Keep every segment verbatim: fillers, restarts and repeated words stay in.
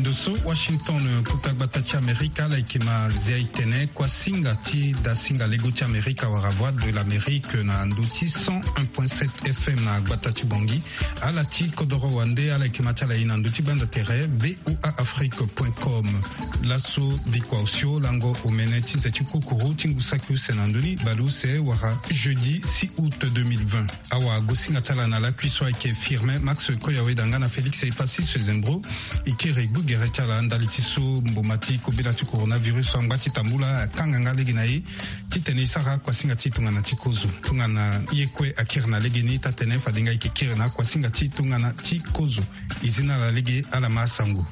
Ndo so Washington, kota gbata ti Amerika, ala yeke ma zia e tene kuasinga ti dasinga lego ti Amerika wala Voix de l'Amérique na ndo ti cent un point sept F M na gbata ti Bangui. Ala ti kodoro wande, ala yeke ma ti ala ye na ndo ti banda tere V O A Afrique point com. Laso bikua osio lango omene ti ze ti kukuru ti ngu saki use na ndoni baleuse wala jeudi six août deux mille vingt. Awagosinga ti ala na lakui so ayeke Firmin Max Koyaweda nga na Félix Epassis Sezembro. E kiri gbu gere ti ala ndali ti so mboma ti kobela ti coronavirus angba ti tambula akanga nga lege na e titene e sara kuasinga ti e tongana ti kozo. Tongana ye kue akiri na legeni, taa-tene fade nga e yeke kiri na akuasinga ti e tongana ti kozo. E zi na ala lege, ala ma asango.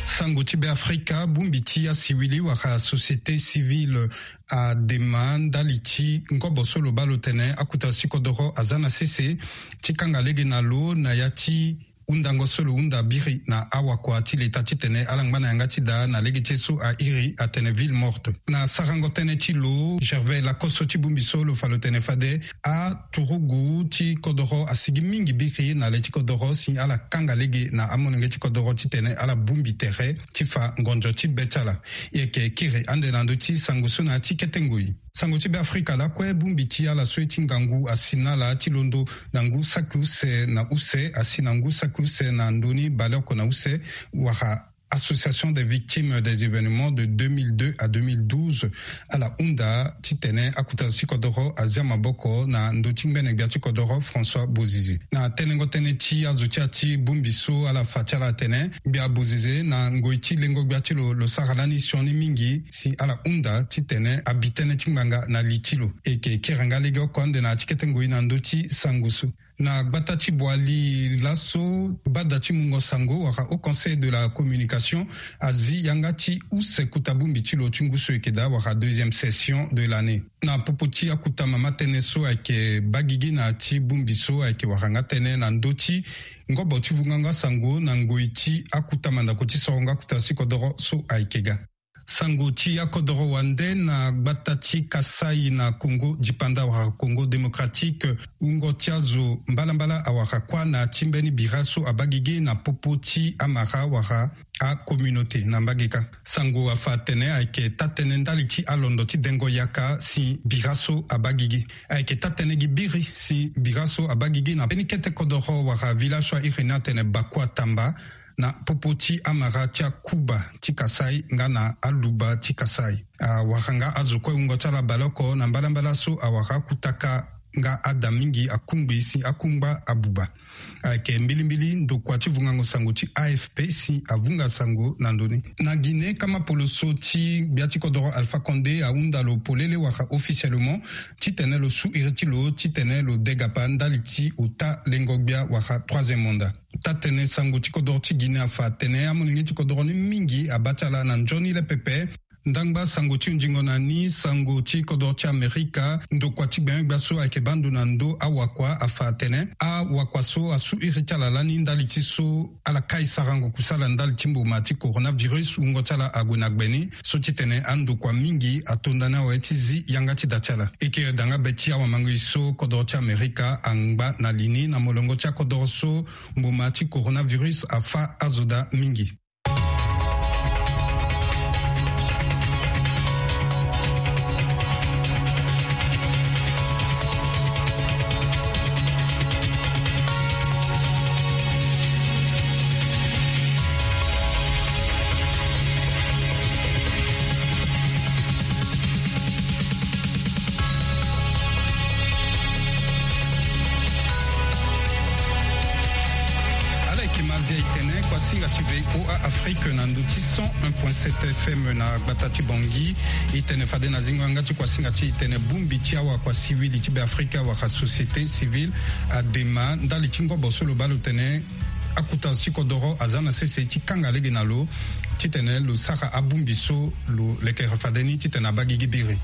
Sango ti Beafrika, bongbi ti asiwili wala société civile adema ndali ti ngobo so lo baa lo tene akuta ti kodoro aza na sese ti kanga lege na lo na ya ti hundango so lo hunda biri na awakua ti leta titene ala ngba na yanga ti daa na lege ti ye so a iri atene ville morte. Na sarango tënë ti lo, Gervais Lacoste, ti bongbi so lo fa lo tene fade aturugu ti kodoro asigi mingi biri na le ti kodoro si ala kanga lege na amolenge ti kodoro titene ala bongbi tere ti fa ngonzo ti be ti ala. E yeke kiri ande na ndö ti sango so na ya ti kete ngoi. Sango ti Beafrika lakue, bongbi ti ala so ye ti ngangu asi na ala ti londo na ngu saki use na use asi na ngu saki use na ndoni baleoko na use, wala Association des victimes des événements de deux mille deux à deux mille douze, ala hunda titene akuta zo ti kodoro azia maboko na ndö ti ngbene gbia ti kodoro François Bozizé. Na tenengo tënë ti azo ti ya ti bongbi so, ala fa ti ala atene gbia Bozizé na ngoi ti lengo gbia ti lo, lo sara lani sioni mingi si ala hunda titene abi tënë ti ngbanga na li ti lo. E yeke kiri nga legeoko ande na ya ti kete ngoi na ndö ti sango so. Na gbata ti Boali laso, bada ti mungo sango wala Haut Conseil de la Communication azi yanga ti use kuta bongbi ti lo ti ngu so e yeke daa wala deuxième session de l'année. Na popo ti akuta mama tënë so ayeke baa gigi na ya ti bongbi so ayeke wara nga tënë na ndö ti ngobo ti vungango asango na ngoi ti akuta mandako ti sorongo akuta ti kodoro so ayeke ga. Sango ti akodoro wande, na gbata ti Kasaï na Congo dipanda wala Congo Démocratique, wungo ti azo mbalambala awara kuâ na ya ti mbeni bira so abaa gigi na popo ti amara wala acommunauté na mbage kâ. Sango afa atene ayeke taa-tënë ndali ti alondo ti dengo yaka si bira so abaa gigi. Ayeke taa-tënë gi biri si bira so abaa gigi na mbeni kete kodoro wala village so a iri ni atene Bakuatamba, na popo ti amara ti akuba ti Kasaï nga na aluba ti Kasaï. Awara nga azo kue wungo ti ala baleoko na mbalambala so awara akutaka nga ada mingi akungbi si akungba abuba. Ayeke mbilimbili ndokua ti vungango sango ti A F P si avunga sango na ndö ni. Na Guinée, kama poloso ti gbia ti kodoro Alpha Condé ahunda lo polele wala officiellement titene lo su iri ti lo titene lo degapa ndali ti ota lengo gbia wala troisième mandat. Taa-tënë sango ti kodoro ti Guinée afa atene amolenge ti kodoro ni mingi abaa ti ala na nzoni le pepe. Ndangba sango ti hunzingo na ni, sango ti kodoro ti Amerika, ndokua ti gbengbia so ayeke baa ndo na ndö awakua afa atene awakua so asu iri ti ala lani ndali ti so ala kai sarango kusala ndali ti mboma ti coronavirus, wungo ti ala ague na gbe ni so titene andokua mingi atonda ni awe ti zi yanga ti da ti ala. E kiri da nga be ti awamangoi so kodoro ti Amerika angba na li ni na molongo ti akodoro so mboma ti coronavirus afâ azo daa mingi. Ala yeke ma zia e tene kuasinga ti V O A Afrique na ndö ti cent un point sept F M na gbata ti Bangui. E tene fade na zingo yanga ti kuasinga ti e tene bongbi ti awakua siwili ti Beafrika wala société civile adema ndali ti ngobo so lo baa lo tene akuta zo ti kodoro aza na sese ti kanga lege na lo titene lo sara abongbi so lo lekere fade ni titene abaa gigi biri.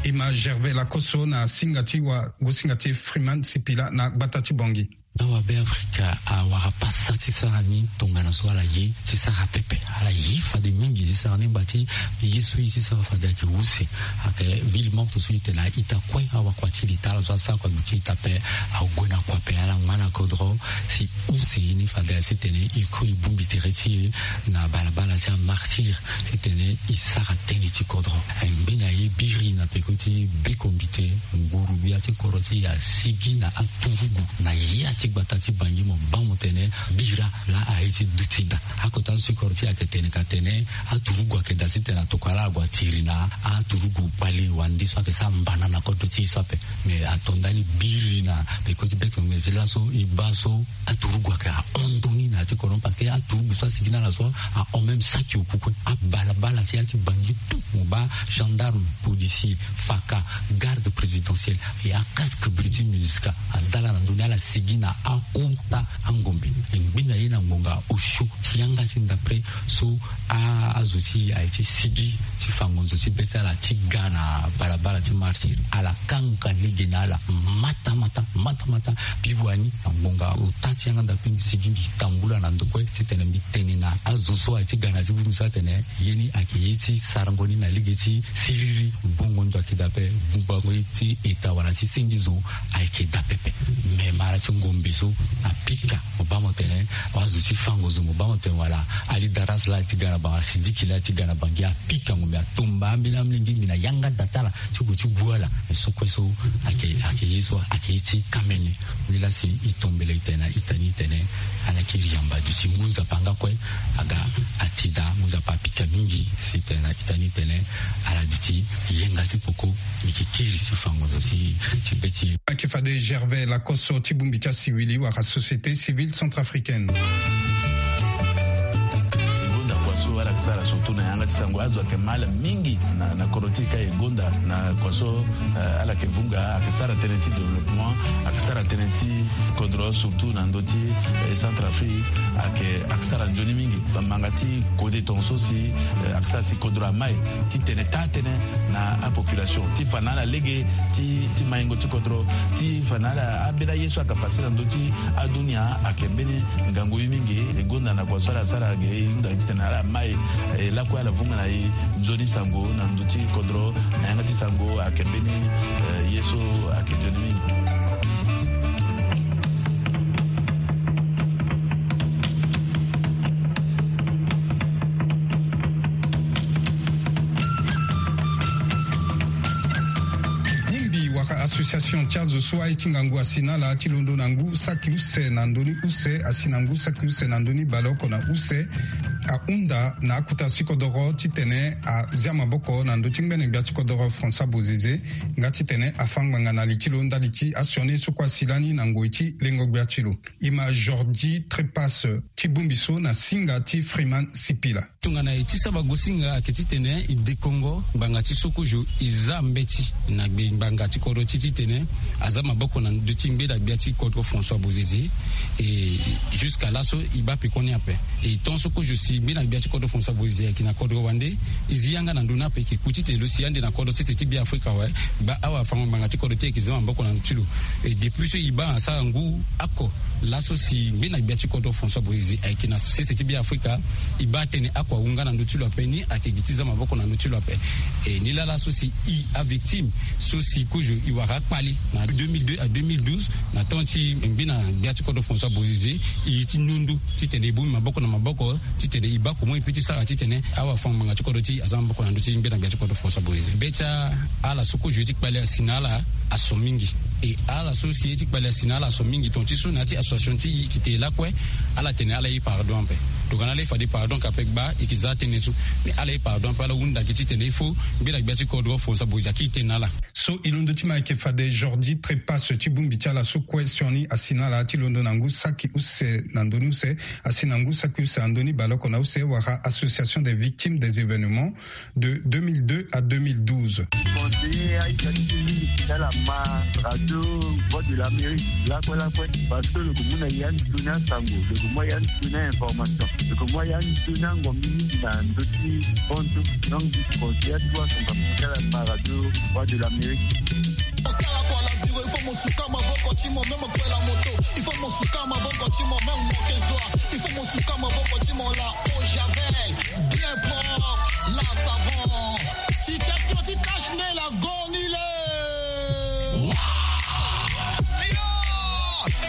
E ma Gervais Lakoso na singa ti wagosinga ti Freeman Sipila na gbata ti Bangui. Awa Beafrika awara pasa ti sara ni tongana so ala ye ti sara pepe. Ala ye fade mingi ti sara ni ngba ti ye so e ti sara fade ayeke use. Ayeke ville morte so e tene a-ita kue awakua ti leta, ala so asara kua gbe ti ita ape ague na kua ape, ala ngba na kodro, si use ye ni fade ya titene e kue e bongbi tere ti e na balabala ti amartyr, titene e sara tënë ti kodro. Aye ngbe na ye biri na peko ti beko mbite, nguru-gbia ti kodro ti e asigi na aturugu na ya ti gbata ti Bangui. Mo baa mo tene bira laa aye ti duti daa. Akota so ti kodro ti e ayeke tene ka tene aturugu ayeke daa titene atokua laa ague atiri na aturugu kpale wande so ayeke sara mbana na kodro ti e so ape. Me ato ndani biri na peko ti beko mbite laso e baa so aturugu ayeke ahon ndoni na ya ti kodro, parce que aturugu so asigi na ala so ahon même saki oku kue. Abalabala ti ya ti Bangui tout, mo baa gendarme, policier, faka, garde présidentielle, e acasque biri ti MINUSCA aza laa na ndö ni, ala sigi na akota angombe. E ngbe na ye na ngonga osio ti yanga ti ndapre so a, azo ti e aye ti sigi ti fango nzo ti be ti ala ti ga na balabala ti martyr. Ala kanga lege na ala mata mata, mata mata. Mbi wani na ngonga ota ti yanga ndapre, mbi sigi, mbi tambula na ndo kue titene mbi tene na azo so aye ti ga na ti buru so atene ye ni ayeke ye ti sarango ni na lege ti siriri. Bongo ndo ayeke daa ape, bungbango ye ti eta wala ti senge zo ayeke daa pepe. Me mara ti ngombe so apika, mo baa mo tene, azo ti fango zo, mo baa mo tene wala alidaras laa ti ga na Bangui, asidiki laa ti ga na Bangui, apika ngombe, atomba ambeni amolenge ngbi na yanga da ti ala ti gue ti gue ala. Me so kue so ayeke, ayeke ye so ayeke ye ti kamene. Ni laa si e tombela e tene na ita ni tene, ala yeke iri yamba duti ngu nzapa nga kue aga ati daa, ngu nzapa apika mingi. Si tene na ita ni tene ala duti yenga ti poko, ni yeke kiri ti fango nzo ti, ti be ti e. Ayeke fade Gervais Lacoste ti bongbi ti asiwili wala société civile centrafricaine. E gonda kua so ala yeke sara surtout na yanga ti sango, azo ayeke ma ala mingi na, na kodro ti e ka e gonda na kua so, eh, ala yeke vunga, ayeke sara tënë ti développement, ayeke sara tënë ti kodro surtout na ndö ti, eh, Centrafrique, ayeke, ayeke sara nzoni mingi. Bamanga ti kode tongaso si, eh, ayeke sara si kodro amai ti tene taa tënë na apopulation ti fa na ala lege ti, ti maingo ti kodro, ti fa na ala ambeni aye so ayeke pase na ndö ti adunia ayeke mbeni ngangu ye mingi. E gonda na kua so ala sara ge, e hunda titene ala mai, eh, lakue ala vunga na e nzoni sango na ndö ti kodro, na yanga ti sango ayeke mbeni, eh, ye so ayeke nzoni mingi. Bongbi wala association ti azo so aye ti ngangu asi na ala ti londo na ngu saki use na ndö ni use, asi na ngu saki use na ndö ni baleoko na use, ahunda na akota ti kodoro titene azia maboko na ndö ti ngbene gbia ti kodoro François Bozizé, nga titene afa ngbanga na li ti lo ndali ti asioni ye so kue asi lani na ngoi ti lengo gbia ti lo. E ma Jordi Trepas ti bongbi so na singa ti Freeman Sipila. Tongana e ti saba gosinga ayeke titene e dekongo ngbanga ti so kozo e za mbeti na gbe ngbanga ti kodro ti titene aza maboko na ndö ti ngbene gbia ti kodro François Bozizé. E jusqu'à laso e baa pekoni ape. E tant so kozo si ngbene gbia ti kodro François Bozizé ayeke na kodro wande, e zi yanga na ndö ni ape, e yeke ku titene lo si ande na kodro sese ti Beafrika awe. Gba awafango-ngbanga ti kodro ti e ayeke za maboko na ndö ti lo. E depuis so e baa asara ngu oko laso si ngbene gbia ti kodro François Bozizé ayeke na sese ti Beafrika, e baa atene oko awu nga na ndö ti lo ape, ni ayeke gi ti za maboko na ndö ti lo ape. E ni laa laso si e avictime so si kozo e wara akpali na deux mille deux à deux mille douze, na temps ti ngbene gbia ti kodro François Bozizé, e ye ti nondo titene e bongbi maboko na maboko titene e baa comment e peut ti sara titene awafango-ngbanga ti kodro ti e aza maboko na ndö ti ngbene gbia ti kodro François Bozizé. Be ti ala so kozo ye ti kpali asi na ala aso mingi. E ala so si ye ti kpali asi na ala aso mingi, tonga ti so na ya ti association ti e e yeke te lakue, ala tene ala ye pardon ape. Tongana ala ye fade pardon ka ape, gba e yeke za tënë so. Mais ala ye pardon ape, ala hunda gi titene il faut ngbene gbia ti kodro François Bozizé akiri tënë na ala. So e londo ti ma ayeke fade Jordi Trepas ti bongbi ti ala so kue sioni asi na ala ti londo na ngu saki use na ndö ni use, asi na ngu saki use na ndö ni baleoko na use, wala Association des victimes des événements de deux mille deux à deux mille douze. Conseiller aita ti ti mingi ti ala ma radio Voix de l'Amérique lakue lakue, parce que lo yeke mu na ya ni ndoni asango, lo yeke mu ya ni ndoni ainformation, lo yeke mu ya ni ndoni angombe mingi na ndö ti hon so. Donc mbi conseiller aturugu asango ti ala ma radio Voix de l'Amérique. Osala kwa la bureau, il faut mo suka maboko ti mo, même kwa la moto, il faut mo suka maboko ti mo, même mo ke zwa, il faut mo suka maboko ti mo la eau javel, bien propre, la savon. Citation ti cache-nez la gonile.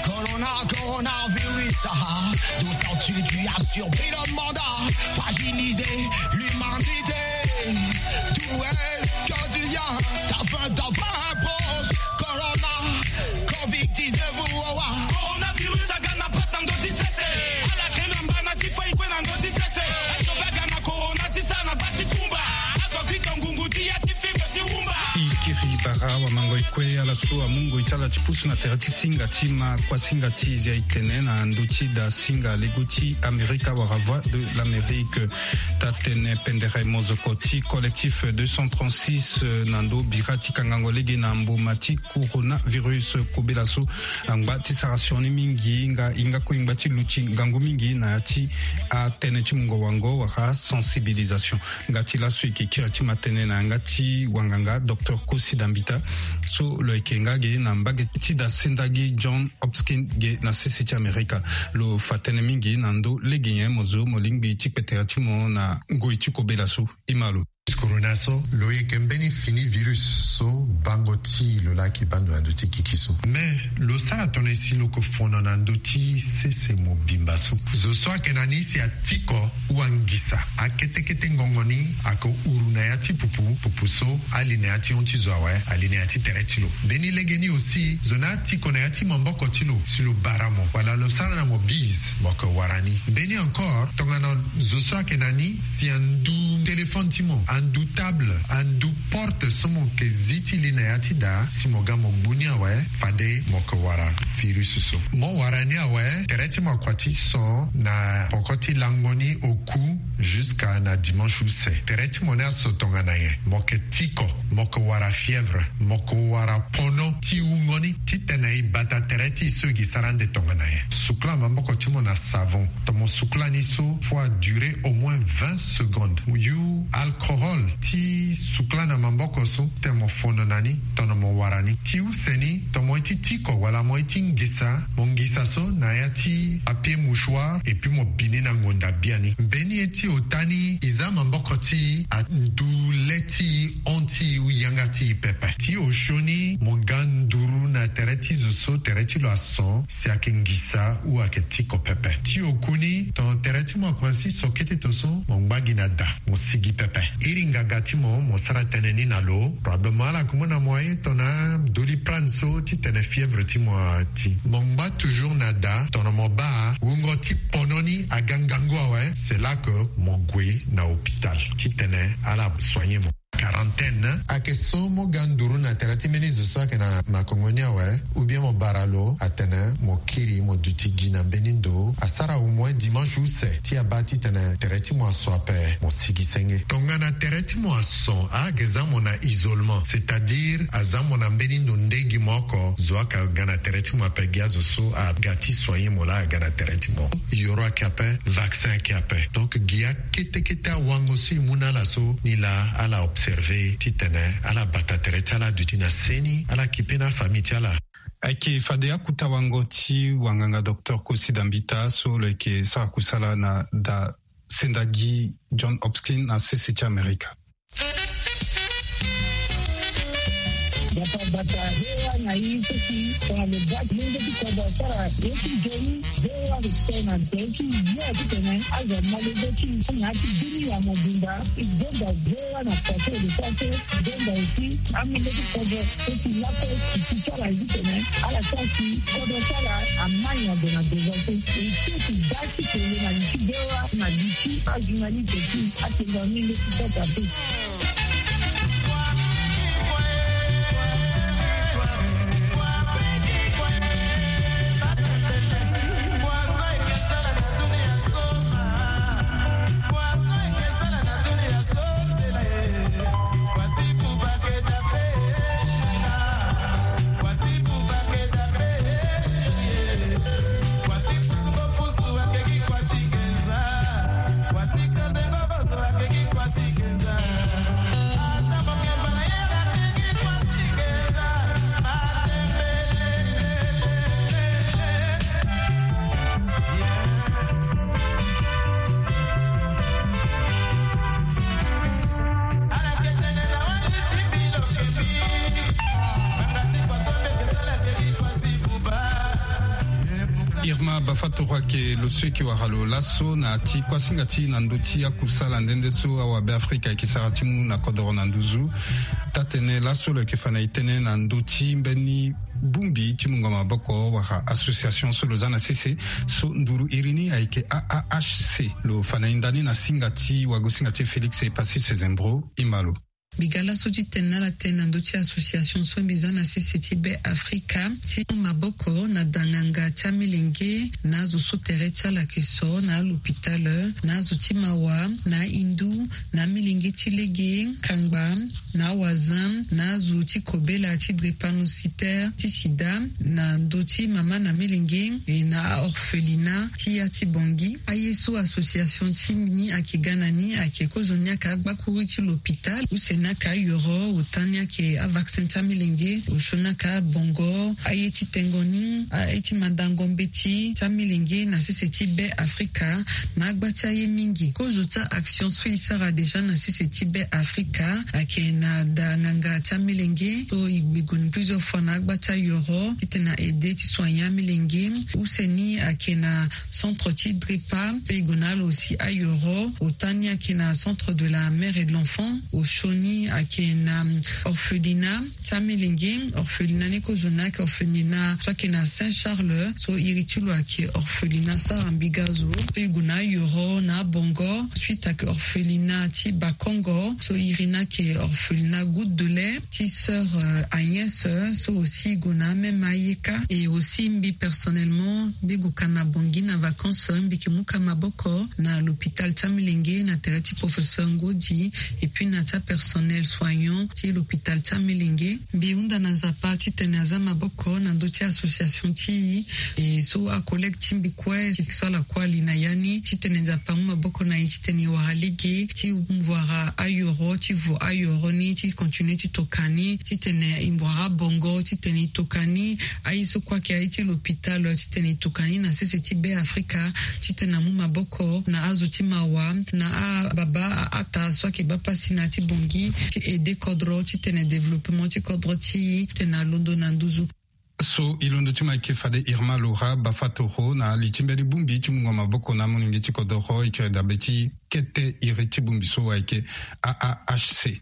Corona. Coronavirus, ah, d'où sors-tu? Tu as surpris le monde, fragilisé l'humanité. D'où est-ce que tu viens? Ta fin, ta fin approche. Corona, covid dix-neuf, oh, oh, oh. Coronavirus, agana pasa ndoti sese. Ala kena mbana ti fo ikwe na ndoti sese. Aso bagana corona ti sa na gba ti kumba. Aso kito ngungu ti ya ti fimbo ti wumba. I kiri bara wamango ikwe ala so amu ngoi ti ala ti pusu na tere ti singa ti ma kuasinga ti zia itene na ndö ti da singa lego ti Amerika wala Voix de l'Amérique. Taa-tene pendere mozoko ti Collectif deux cent trente-six, eh, na ndö bira ti kangango lege na mboma ti coronavirus. Kobela so angba ti sara sioni mingi nga hinga kue ngba ti luti ngangu mingi na ya ti atënë ti mungo wango wala sensibilisation. Nga ti laso e yeke kiri ti ma tënë na yanga ti wanganga docteur Kosi Dambita so lo yeke nga ge na mbage ti da senda gi John Hopkins ge na sese ti Amerika. Lo fa tënë mingi na ndö lege nyen mo zo mo lingbi ti kpe tere ti mo na ngoi ti kobela so. E ma lo. Corona so lo yeke mbeni fini virus so bango ti lo laki baa ndo na ndö ti gigi so. Me lo sara tongana e si lo yeke fono na ndö ti sese mobimba so. Zo so ayeke na ni si atiko wangisa akete kete ngongo ni ayeke huru na ya ti pupu, pupu so ali na ya ti hon ti zo awe, ali na ya ti tere ti lo. Mbeni lege ni aussi zo ni atiko na ya ti maboko ti lo si lo bara mo wala lo sara na mo bise, mo yeke wara ni. Mbeni encore tongana zo so ayeke na ni si andu téléphone ti mo, andu table, andu porte so mo yeke zi ti li na ya ti da si mo ga mo gbu ni awe, fade mo yeke wara virus so. Mo wara ni awe, tere ti mo akua ti son na poko ti lango ni oku jusqu'à na dimanche use. Tere ti mo ni aso tongana nyen? Mo yeke tiko, mo yeke wara fièvre, mo yeke wara pono ti wungo ni titene e bata tere ti e so e gi sara ande tongana nyen? Sukula maboko ti mo na savon. Tongana mo sukula ni so, faut a durer au moins vingt secondes. Yu alcohol ti sukula na maboko so titene mo fono na ni tongana mo wara ni. Ti use ni, tongana mo ye ti tiko wala mo ye ti ngisa, mo ngisa so na ya ti papier mouchoir et puis mo bi ni na ngonda biani. Mbeni ye ti ota ni, e za maboko ti e andu le ti e, hon ti e, yanga ti e pepe. Ti osio ni, mo ga nduru na tere ti zo so tere ti lo ason si ayeke ngisa ou ayeke tiko pepe. Ti oku ni, tongana tere ti mo akomanse so kete to so, mo ngba gi na da, mo sigi pepe. Iri nganga ti mo, mo sara tënë ni na lo. Probablement ala yeke mu na mo aye tongana Doliprane so titene fièvre ti mo ati. Mo ngba toujours na da, tongana mo baa wungo ti pono ni aga ngangu awe, c'est là que mo gue na hôpital titene ala soigner mo. Quarantaine. Ayeke so mo ga nduru na tere ti mbeni zo so ayeke na makongo ni awe, ou bien mo bara lo atene mo kiri mo duti gi na mbeni ndo, asara au moins dimanche use ti abaa titene tere ti mo aso ape, mo sigi senge. Tongana tere ti mo ason, ala yeke za mo na isolement, c'est-à-dire aza mo na mbeni ndo nde gi mo oko, zo ayeke ga na tere ti mo ape, gi azo so aga ti soigner mo laa aga na tere ti mo. Yoro ayeke ape, vaccin ayeke ape. Donc gi akete kete awango so e mu na ala so, ni laa ala observer titene ala bata tere ti ala aduti na seni, ala kipe na afamille ti ala. Ayeke fade akuta wango ti wanganga docteur Kosi Dambita so lo yeke sara kusala na da senda gi John Hopkins na sese ti Amerika. Bata bata, V O A na i seki tongana lo baa ti lenge ti kodro asara ye ti nzoni. V O A lo tene na tere ti yo titene azo amolenge ti na ya ti bini ya mobimba. E gonda V O A na pase de pase, e gonda aussi amolenge ti kodro seki lakue ti ti ti ala titene ala sara si kodro ti ala amai na ndo na devant so. E seki baa ti kele na li ti V O A na li ti ajournaliste ti atenda menge ti kota pe. Irma Bafatoro ayeke lo so eke wara lo laso na ti kuasinga ti na ndö ti akusala nde nde so awabe afrika ayeke sara ti mu na kodoro na nduzu. Taa-tene laso lo yeke fa na e tënë na ndö ti mbeni bongbi ti mungo maboko wala association so lo za na sese, so nduru iri ni ayeke A A H C. Lo fa na e nda ni na singa ti wagosinga ti e Félix Epassis Sezembro. E ma lo. Mbi ga laso ti tene na ala tënë na ndö ti association so mbi za na sese ti Be Afrika ti mu maboko na da nganga ti amilenge na azo so tere ti ala ayeke so na alopitale, na azo ti mawa, na ahindu, na amilenge ti lege, kangba, na awazin, na azo ti kobela ti drépanocytaire ti sida, na ndö ti mama na milenge, e na aorphelina ti ya ti Bangui. Aye so association ti ni ayeke ga na ni ayeke kozo ni ayeke agbakuru ti lopitale, use ni ayeke ayoro, ota ni ayeke avaccin ti amilenge, osio ni ayeke abongo, aye ti tengo ni, aye ti mandango mbeti ti amilenge na sese ti Be Afrika, na agba ti aye mingi. Kozo ti a-action so e sara déjà na sese ti Be Afrika ayeke na da nganga ti amilenge so e gbe gue plusieurs fois na agba ti ayoro titene na aide ti soigner amilenge. Use ni ayeke na centre ti drepa, pe e gue na ala aussi ayoro. Ota ni ayeke na centre de la mère et de l'enfant. Osio ni ayeke na orphelina ti amilenge. Orphelina ni kozo ni ayeke orphelina so ayeke na Saint Charles, so iri ti lo ayeke orphelina sara mbi ga zo. So e gue na ayoro na abongo, suite ayeke orphelina ti Bakongo, so iri ni ayeke orphelina Goutte de lait ti sœur, euh, Agnès, euh, so aussi e gue na ameme ayeka. Et aussi mbi personnellement mbi gue ka na Bangui na vacances, mbi yeke mu ka maboko na l'hôpital ti amilenge na tere ti professeur Ngodi, et puis na ti apersonnel soignant ti l'hôpital ti amilenge. Mbi hunda na Nzapa titene aza maboko na ndö ti association ti e, e so acollègue ti mbi kue ti so ala kue ali na ya ni, titene Nzapa amu maboko na e titene e wara lege ti wara ayoro, ti vo ayoro ni, ti continuer ti toka ni, titene e wara abongo, titene e toka ni. Aye so kue ayeke aye ti l'hôpital, titene e toka ni na sese ti Be Afrika, titene amu maboko na azo ti mawa, na ababa, a-ata so ayeke baa pasi na ya ti Bangui, ti aide kodro titene développement ti kodro ti e titene alondo na nduzu. So e londo ti mo ayeke fade Irma Laura Bafatoro na li ti mbeni bongbi ti mungo maboko na amolenge ti kodoro, e kiri dabe ti kete iri ti bongbi so ayeke A A H C.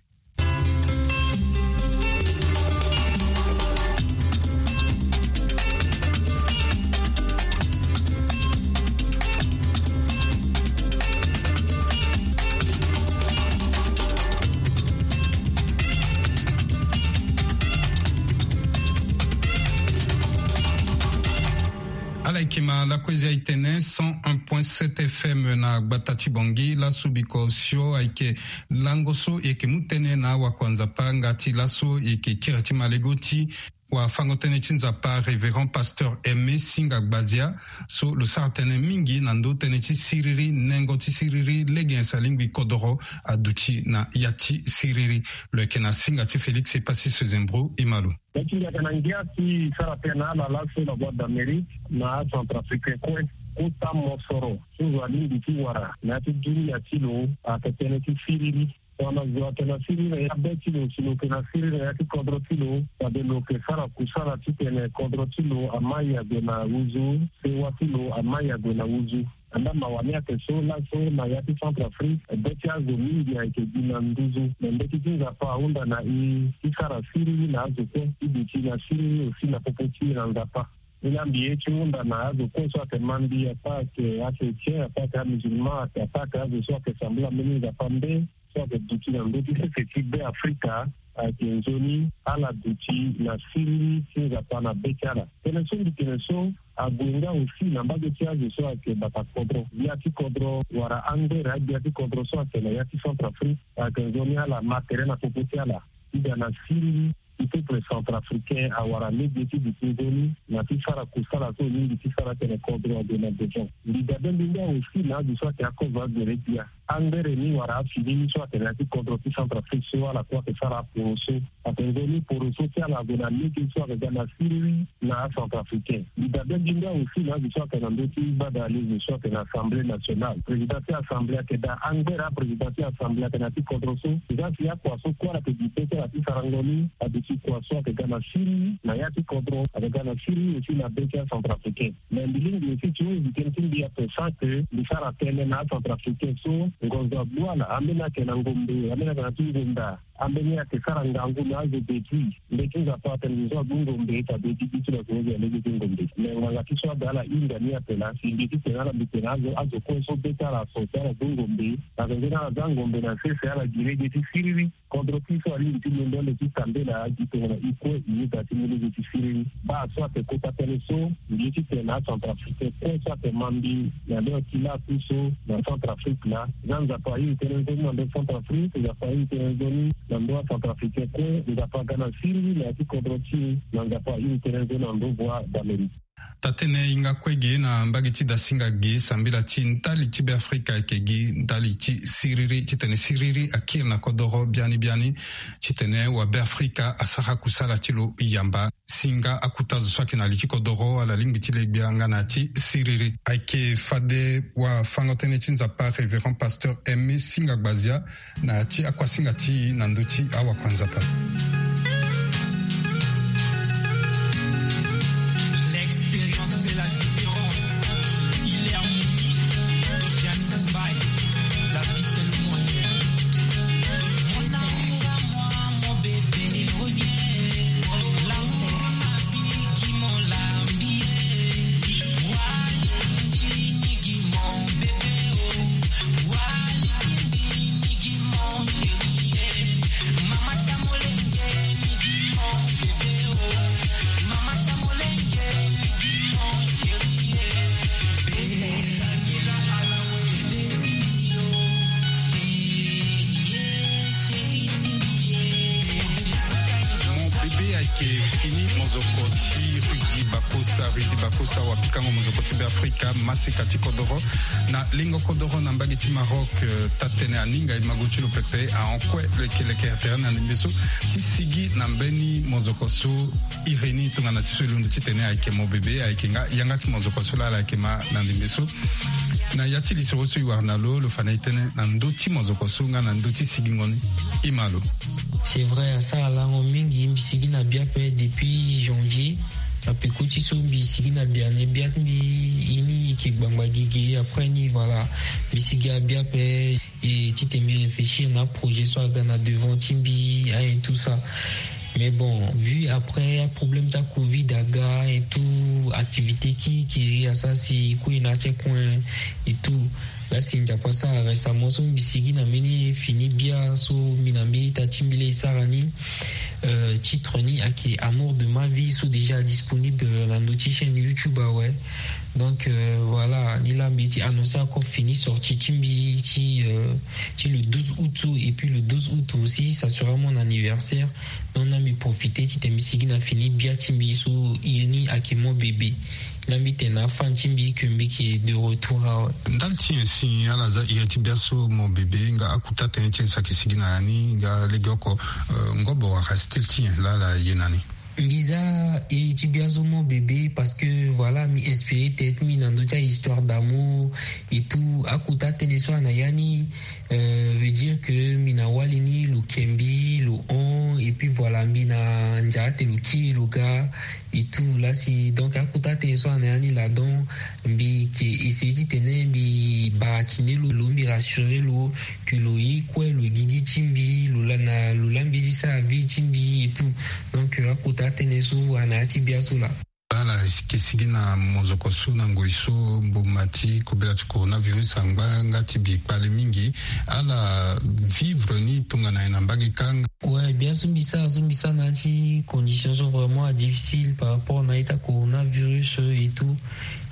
Ala yeke ma lakue zi aye tene cent un point sept F M na gbata ti Bangui. Laso biko osio ayeke lango so e yeke mu tënë na awakua Nzapa nga ti laso e yeke kiri ti malego ti wafango-tënë ti Nzapa, Révérend Pasteur Aimé Singa Gbazia, so lo sara tënë mingi na ndö tënë ti siriri, nengo ti siriri, lege nyen si alingbi kodoro aduti na ya ti siriri. Lo yeke na singa ti Félix Epassis Sezembro. E ma lo. Nda ti ngia ayeke na ngia ti sara tënë na ala laso na Voix d'Amérique na aCentrafricain kue. Kota mosoro so zo alingbi ti wara na ya ti dunia ti lo ayeke tënë ti siriri. Tongana zo ayeke na siriri na ya be ti lo, si lo yeke na siriri na ya ti kodro ti lo, fade lo yeke sara kusala titene kodro ti lo amai ague na wuzu, sewa ti lo amai ague na wuzu. Andaa mawa ni ayeke so laso na ya ti Centrafrique, be ti azo mingi ayeke gi na nduzu. Me mbeti ti Nzapa ahunda na e ti sara siriri na azo kue, ti duti na siriri aussi na popo ti e na Nzapa. Ni laa mbi ye ti hunda na azo kue so ayeke ma mbi, ataa ayeke achrétien, ataa ayeke amusulman, ataa ayeke azo so ayeke sambela mbeni Nzapa nde so ayeke duti na ndö ti sese ti Be Afrika, ayeke nzoni ala duti na siriri ti Nzapa na be ti ala. Tënë so mbi tene so ague nga aussi na mbage ti azo so ayeke bata kodro, gbia ti kodro wala angbere agbia ti kodro so ayeke na ya ti Centrafrique, ayeke nzoni ala ma tere na popo ti ala ti ga na siriri ti peuple centrafricain awara lege ti duti nzoni na ti sara kusala so e lingbi ti sara tene kodro ague na besoin. Mbi dabe mbi nga aussi na azo so ayeke akozo agbere gbia. Angere ni wala afini ni so atene na ti kodro ti Centrafrique so ala kue ake sara aporo so. Ake nzoni poro so ti ala ague na lege so ake ga na siriri na acentrafricain. Mbi dabe nginda aussi na azo so ake na ndö ti gbada lege so ake na assemblée nationale, président ti assemblée ake daa angere aprésident ti assemblée ake na ti kodro so. Eza si akua so kue ala ake gi be ti ala ti sarango ni, aduti kua so ake ga na siriri na ya ti kodro, ake ga na siriri aussi na be ti acentrafricain. Mais mbi lingbi aussi ti hon zi tënë ti mbi ape sans que mbi sara tënë na acentrafricain so ngonzo agbu ala, ambeni ayeke na ngombe, ambeni ayeke na ti ngonda, ambeni ayeke sara ngangu na azo depuis. Mbeti Nzapa atene ngonzo agbu ngombe, fade gigi ti lo ayeke hon zi na lege ti ngombe. Mais nganga ti so ada ala hinga ni ape laa si mbi ti tene ala mbi tene azo, azo kue so be ti ala aso si ala gbu ngombe, na tongaso ni ala za ngombe na sese ala gi lege ti siriri. Kodro ti so alingbi ti londo ande ti kambela gi tongana e kue e yeda ti mu lege ti siriri. Baa so ake kota tënë so, mbi ye ti tene na acentrafricain kue so ake ma mbi na lio ti laa ku so na Centrafrique laa. Za Nzapa ahinga tënë nzoni na ndö Centrafrique, Nzapa ahinga tënë nzoni na ndö acentrafricain kue. Nzapa aga na siriri na ya ti kodro ti e, na Nzapa ahinga tënë nzoni na ndö Voix d'Amérique. Taa-tënë e hinga kue ge na mbage ti dasinga ge sambela ti ndali ti Beafrika ayeke gi ndali ti siriri, titene siriri akiri na kodoro biani biani, titene wabeafrika asara kusala ti lo yamba. Singa akuta zo so ayeke na li ti kodoro ala lingbi ti le gbia nga na ti siriri. Ayeke fade wafango-tënë ti Nzapa Révérend Pasteur Aimé Singa Gbazia na ti akuasinga ti e na ndö ti awakua Nzapa. L'expérience fait la différence. Il est harmonie. Jeanne Mbaye. La vie, c'est le moyen. Mon amour à moi, mon bébé, reviens. L'amour de ma vie, qui m'ont l'habillé. Wali Kimbi, Nigi, mon bébé, oh. Wali Kimbi, Nigi, mon chéri, eh. Mama Tamolenge, Nigi, mon bébé, oh. Mama Tamolenge, Nigi, mon chéri, eh. Bébé, Daniela, Alawe, Desi, oh. Chéri, eh, chéri, Timbi, eh. Mon bébé ayeke fini mozoko ti Rudy Bakosa. Rudy Bakosa wapikango mozoko ti Beafrika, masika ti kodoro na lingo kodoro na mbage ti Maroc. Eh, taa-tënë aninga e mago ti lo pepe, ahon kue lekeleke atere na ndembe so ti sigi na mbeni mozoko so. Iri ni tongana ti so e londo titene ayeke mo bebe, ayeke nga yanga ti mozoko so laa ala yeke ma na ndembe so. Na ya ti lisoro so e wara na lo, lo fa na e tënë na ndö ti mozoko so nga na ndö ti sigingo ni. E ma lo. C'est vrai, asara lango mingi. Mbi sigi na bia ape depuis janvier. Na peko ti so mbi sigi na dernier bia ti mbi, e ni e yeke ngbangba gigi. Après ni, voilà, mbi sigi na bia ape. Et ti tene mbi réfléchir na projet so aga na devant ti mbi, hein, et tout ça. Mais bon, vu après problème ta covid aga et tout, activité ki kiri asara si e kue na ti coin et tout. Laa si Nzapa asara récemment so mbi sigi na mbeni fini bia so mbi na mbeni ita ti mbi laa e sara ni, euh, titre ni ayeke Amour de ma vie, so déjà disponible, euh, na ndö ti chaîne YouTube awe. Donc, euh, voilà, ni laa mbi ti annoncer encore fini sortie ti mbi ti, euh, ti le douze août so, et puis le douze août aussi ça sera mon anniversaire. Donc na mbi profiter titene mbi sigi na fini bia ti mbi so, e ni ayeke mo bebe. Laa mbi tene na afan ti mbi que mbi yeke de retour awe. Ndali ti nyen si ala za iri ti bia so mo bebe, nga akuta tënë ti nyen si ayeke sigi na ya ni, nga legeoko, euh, ngobo wala style ti nyen laa ala ye na ni? Mbi za iri ti bia so mo bebe parce que, voilà, mbi inspiré tête mbi na ndö ti ahistoire d'amour et tout. Akuta tënë so ana ya ni, euh, veut dire que mbi na wali ni lo ke mbi, lo hon, et puis voilà, mbi na nzara ate lo kiri lo ga et tout. Laa si donc akuta tënë so ana ya ni laa, donc mbi yeke essayer titene mbi barakini lo, lo, mbi rassurer lo que lo ye kue, lo gigi ti mbi, lo laa na, lo laa mbi ti sara vie ti mbi et tout. Donc, euh, akuta tënë so ana ya ti bia so laa. Ala yeke sigi na mozoko so na ngoi so mboma ti kobela ti coronavirus angba nga ti bi kpale mingi. Ala vivre ni tongana nyen na mbage kâ? Ouais, bia so mbi sara so, mbi sara na ya ti condition so vraiment adifficile par rapport na ita coronavirus et tout.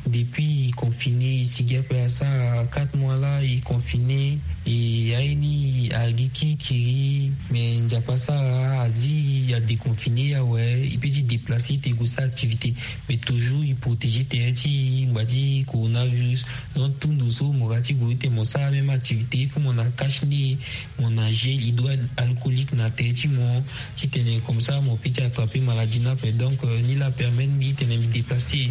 Depuis e confiner, e sigi ape asara quatre mois la e confiner. E aye ni agi kirikiri, mais Nzapa asara, azi a déconfiner awe. E peut ti déplacer ti e gue sara activité, mais toujours e protéger terrain ti e ngba ti coronavirus. Donc tout ndo so mo ga ti gue ti tene mo sara même activité, il faut mo na cache nez, mo na gel hydroalcoolique na terrain ti mo, ti tene comme ça mo peut ti attraper maladie ni ape. Donc ni la permettre mbi ti tene mbi déplacer,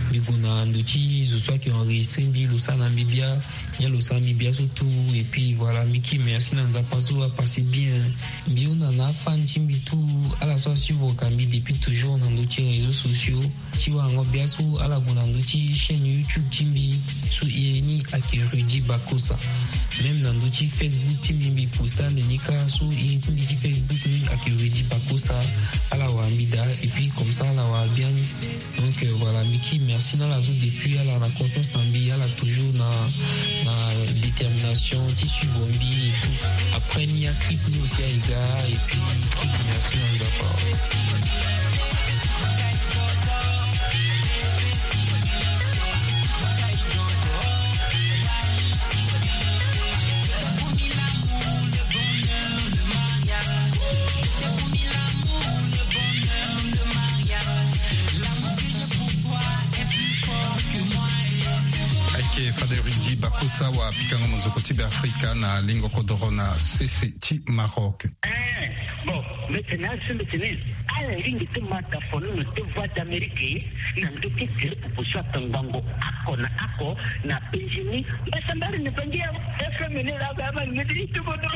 mbi gue na ndo ti zo so ayeke enregistrer mbi, lo sara na mbi bia. Nyen lo sara mbi bia so tout. Et puis voilà, mbi ki merci na Nzapa so apasser bien. Mbi hunda na afan ti mbi tout, ala so asuivre ka mbi depuis toujours na ndo ti réseaux sociaux. Ti warango bia so ala gue na ndo ti chaîne YouTube ti mbi so iri ni ayeke Rudy Bakosa. Même na ndo ti Facebook ti mbi, mbi posta ande ni kâ so iri ti mbi ti Facebook ni ayeke Rudy Bakosa. Ala wara mbi daa, et puis comme ça ala wara bia ni. Donc voilà, mbi ki merci na ala so depuis ala na confiance na mbi, ala toujours na na détermination ti suivre mbi et tout. Après ni aclip ni aussi aye ga, et puis mbi ki merci na Nzapa. Ayeke Fade Rudy Bakosa wa pikango mozoko ti Beafrika na lingo kodoro na sese ti Maroc. Eh, bon, mbi tene asi mbi tene ala lingbi ti mata fonono ti Voix d'Amérique na ndö ti gere popo so atongbango oko na oko na penze ni. Mbasambari ni bangi ya F M ni laa ba ama ni mbi ti tubo do.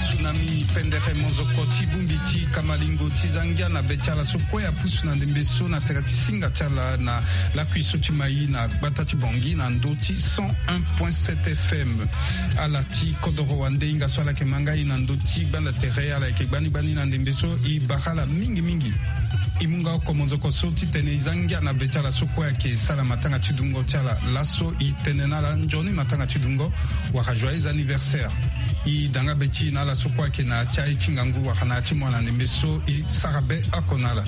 Tsunami pendere mozoko ti bongbi ti kamalingo ti zangia na be ti ala so kue apusu na ndembe so na tere ti singa ti ala na lakui so ti mai na gbata ti Bangui na ndö ti cent un point sept F M. Ala ti kodoro wande hinga so ala yeke ma ngai na ndö ti gbanda tere, ala yeke gbani gbani na ndembe so. E bara ala mingi mingi. E mu nga oko mozoko so titene e za ngia na be ti ala so kue ayeke sara matanga ti dungo ti ala. Laso e tene na ala nzoni matanga ti dungo wala joyeux anniversaire. E da nga be ti e na ala so kue ayeke na ya ti aye ti ngangu wala na ya ti mois na ndembe so e sara be oko na ala.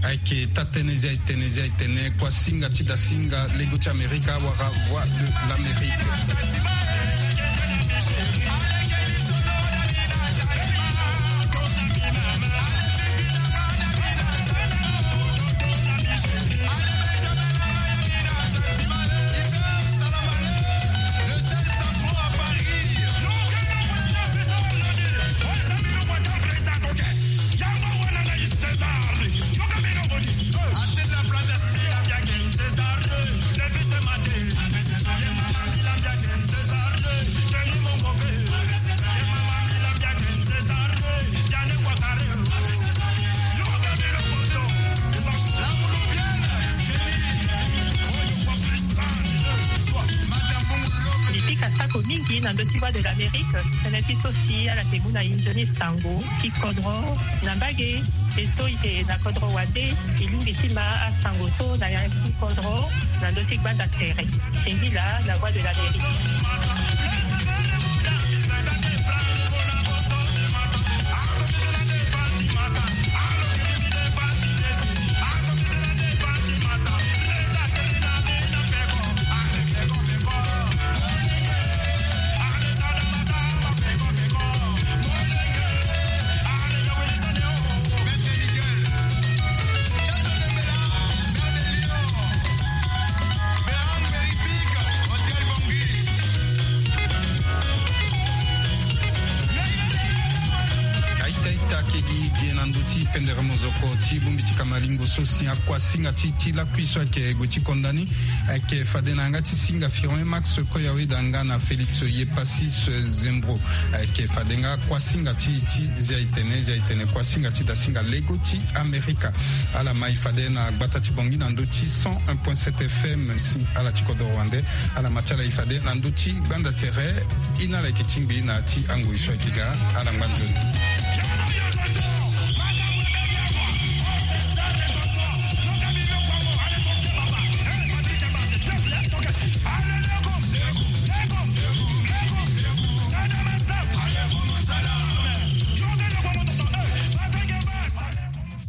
Ayeke taa-tënë zia e tene zia e tene kuasinga ti dasinga lego ti Amerika wala Voix de l'Amérique. Mbi pika sako mingi na ndö ti Voix de l'Amérique. Tënë ti so si ala yeke mu na e nzoni sango ti kodro na mbage. E so e yeke na kodro wande, e lingbi ti ma asango so na ya ti kodro na ndö ti gbanda tere. Singila, la Voix de l'Amérique. ti pendere mozoko ti bongbi ti kamalingo so si akuasinga ti ti lakui so ayeke gue ti konda ni. Ayeke fade na yanga ti singa Firmin Max Koyawe da nga na Félix Yepasis Zembro. Ayeke fade nga kuasinga ti ti Zia Itene, Zia Itene kuasinga ti dasinga lego ti Amerika. Ala ma e fade na gbata ti Bangui na ndö ti cent un point sept F M si ala ti kodoro wande. Ala ma ti ala e fade na ndö ti gbanda tere. Ina ala yeke tingbi na ti angoi so ayeke ga. Ala ngba nzoni.